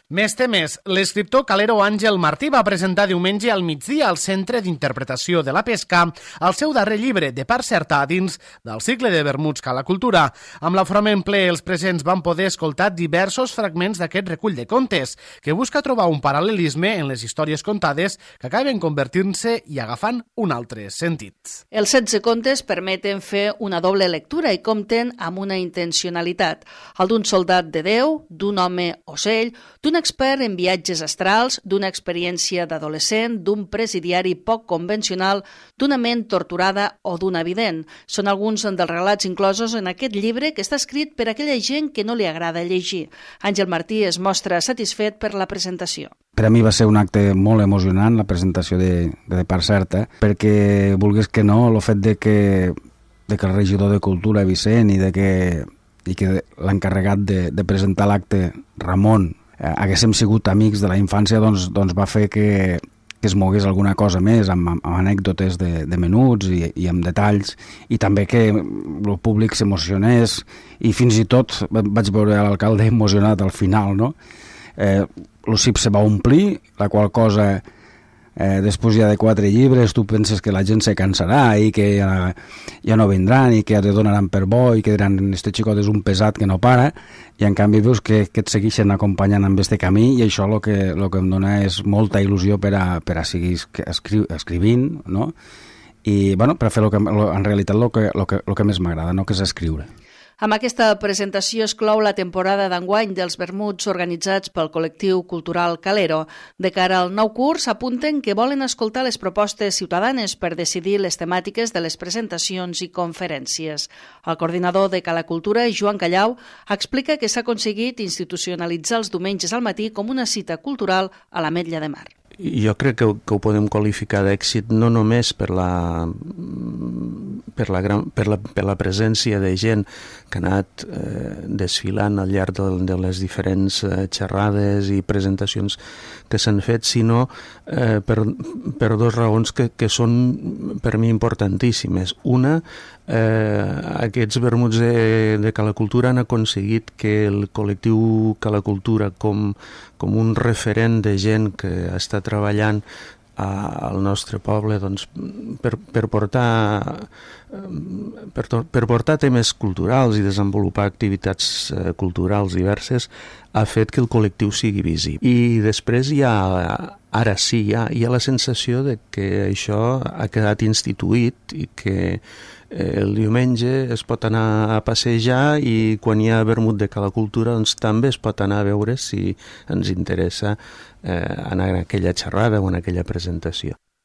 Més temes. L'escriptor calero Àngel Martí va presentar diumenge al migdia al Centre d'Interpretació de la Pesca el seu darrer llibre, De part certa, dins del cicle de vermuts Cala Cultura. Amb l'aforament ple, els presents van poder escoltar diversos fragments d'aquest recull de contes, que busca trobar un paral·lelisme en les històries contades que acaben convertint-se i agafant un altre sentit. Els 16 contes permeten fer una doble lectura i compten amb una intencionalitat. El d'un soldat de Déu, d'un home ocell, d'un expert en viatges astrals, d'una experiència d'adolescent, d'un presidiari poc convencional, d'una ment torturada o d'un evident. Són alguns dels relats inclosos en aquest llibre que està escrit per aquella gent que no li agrada llegir. Àngel Martí es mostra satisfet per la presentació. Per a mi va ser un acte molt emocionant, la presentació de part certa, perquè, vulguis que no, el fet de que el regidor de Cultura, Vicent, i que l'encarregat de presentar l'acte, Ramon, haguéssim sigut amics de la infància, doncs va fer que es mogués alguna cosa més, amb anècdotes de menuts i amb detalls, i també que el públic s'emocionés, i fins i tot vaig veure l'alcalde emocionat al final, no? El CIP se va omplir, la qual cosa... després ja de 4 llibres tu penses que la gent se cansarà i que ja no vindran i que ja te donaran per bo i que diran este xicot és un pesat que no para, i en canvi veus que et segueixen acompanyant en este camí, i això el que em dona és molta il·lusió per a seguir escrivint, no? I bueno, per a fer en realitat el que més m'agrada, no? Que és escriure. Amb aquesta presentació es clou la temporada d'enguany dels vermuts organitzats pel col·lectiu cultural Calero. De cara al nou curs, apunten que volen escoltar les propostes ciutadanes per decidir les temàtiques de les presentacions i conferències. El coordinador de Cala Cultura, Joan Callau, explica que s'ha aconseguit institucionalitzar els diumenges al matí com una cita cultural a l'Ametlla de Mar. Jo crec que ho podem qualificar d'èxit no només per la presència de gent que ha anat desfilant al llarg de les diferents xerrades i presentacions que s'han fet, sinó per 2 raons que són per mi importantíssimes. Una, aquests vermuts de Cala Cultura han aconseguit que el col·lectiu Cala Cultura, com un referent de gent que està treballant al nostre poble, doncs, per portar temes culturals i desenvolupar activitats culturals diverses, ha fet que el col·lectiu sigui visible. I després ara sí hi ha la sensació de que això ha quedat instituït i que el diumenge es pot anar a passejar, i quan hi ha vermut de Cala Cultura doncs també es pot anar a veure si ens interessa anar a aquella xerrada o en aquella presentació.